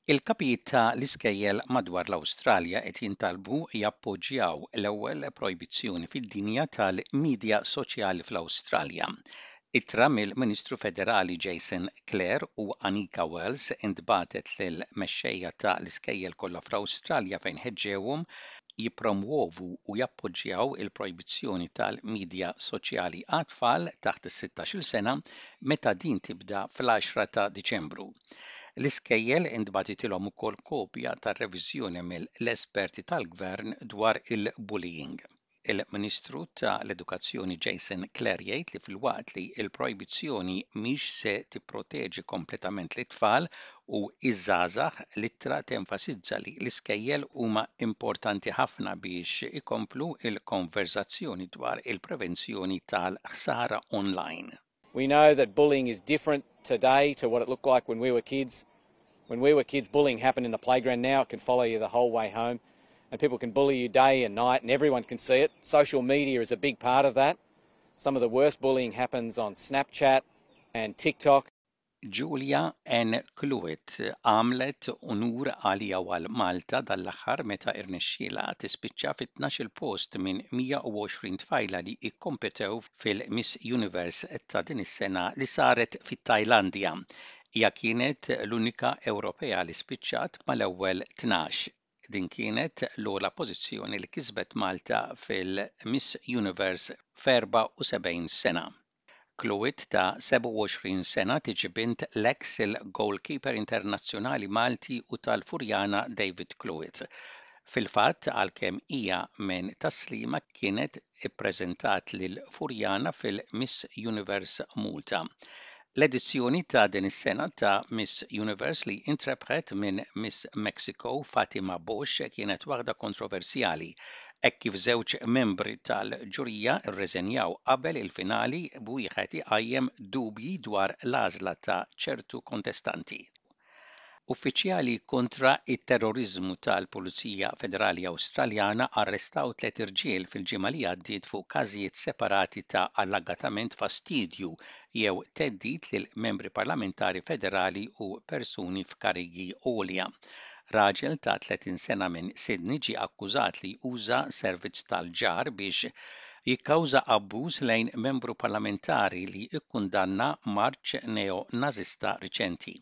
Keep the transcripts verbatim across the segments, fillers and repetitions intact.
Il-kapijiet ta' l-iskejjel madwar l-Awstralja qed jintalbu jappoġġjaw l-ewwel projbizzjoni fid-dinja tal-midja soċjali fl-Awstralja. Ittra mill-Ministru Federali Jason Clare u Anika Wells intbagħtet lil mexxejja ta' l-iskejjel kollha fl-Awstralja fejn ħeġġewhom jippromuovu u jappoġġjaw il-projbizzjoni tal-midja soċjali għat-tfal taħt is-sittax-il sena meta din tibda fl-għaxra ta' Diċembru. L-iskejjel intbagħtitilhom ukoll kopja tar-reviżjoni mill-esperti tal-gvern dwar il-bullying. Il-Ministru ta' l-Edukazzjoni Jason Clare jgħid li filwaqt li l-projbizzjoni mhix se tipproteġi kompletament lit-tfal u iż-żgħażagħ, l-ittra tenfasizza li l-iskejjel huma importanti ħafna biex ikomplu il-konverzazzjoni dwar il-prevenzjoni tal-ħsara online. We know that bullying is different today to what it looked like when we were kids. When we were kids, bullying happened in the playground. Now it can follow you the whole way home. And people can bully you day and night, and everyone can see it. Social media is a big part of that. Some of the worst bullying happens on Snapchat and TikTok. Julia N. Cluett għamlet unur għalija għal Malta dal-aħħar meta irnexxiela tispiċċa fit-tnax-il post minn mija u għoxrin tfajla li ikkompetew fil-Miss Universe ta' din is-sena li saret fit-Tajlandja. Hija kienet l-unika Ewropea li spiċċat mal-ewwel tnax. Din kienet l-ogħla pożizzjoni li kisbet Malta fil-Miss Universe f'erbgħa u sebgħin sena. Cluett ta' sebgħa u għoxrin sena tiġi bint l-ex il-goalkeeper internazzjonali Malti u tal-Furjana David Cluett. Fil-fatt, għalkemm hija minn Tas-Sliema, kienet ippreżentat lil Furjana fil-Miss Universe Malta. L-edizzjoni ta' din is-sena ta' Miss Universe, li intrebħet minn Miss Mexico Fatima Bosch, kienet waħda kontroversjali hekk kif żewġ membri tal-ġurija rreżenjaw qabel il-finali, b'wieħed iqajjem dubji dwar l-għażla ta' ċertu kontestanti. Uffiċjali kontra it-terrorizmu tal-Pulizija Federali Awstraljana arrestaw tliet irġiel fil-ġimgħa li għaddiet fuq każijiet separati ta' allegatament fastidju jew theddid lil membri parlamentari federali u persuni f'karigi għolja. Raġel ta' tletin sena minn Sydney ġie akkużat li uża servizz tal-ġar biex jikkawża abbuż lejn membru parlamentari li ikkundanna marċ neo-nazista riċenti.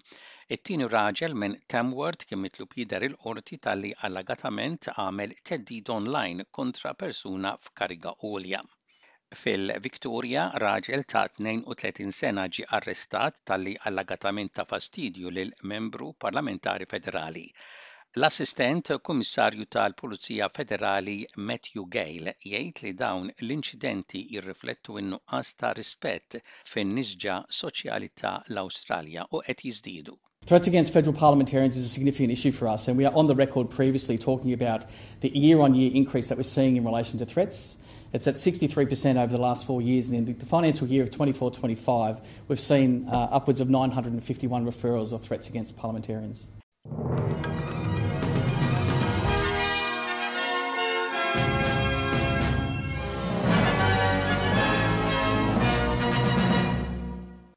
It-tieni raġel minn Tamworth kien mitlub jidher il-qorti talli allegatament għamel theddid online kontra persuna f'kariga għolja. Fil-Victoria, raġel ta' tnejn u tletin sena ġie arrestat talli allegatament ta fastidju lil membru parlamentari federali. L-Assistent Kummissarju tal-Pulizija Federali Matthew Gale jgħid li dawn l-inċidenti jirriflettu n-nuqqas ta' rispett fin-nisġa soċjali ta' l-Awstralja u qed jiżdiedu. Threats against federal parliamentarians is a significant issue for us, and we are on the record previously talking about the year on year increase that we're seeing in relation to threats. It's at sixty-three percent over the last four years, and in the financial year of twenty-four twenty-five, we've seen uh, upwards of nine hundred fifty-one referrals of threats against parliamentarians.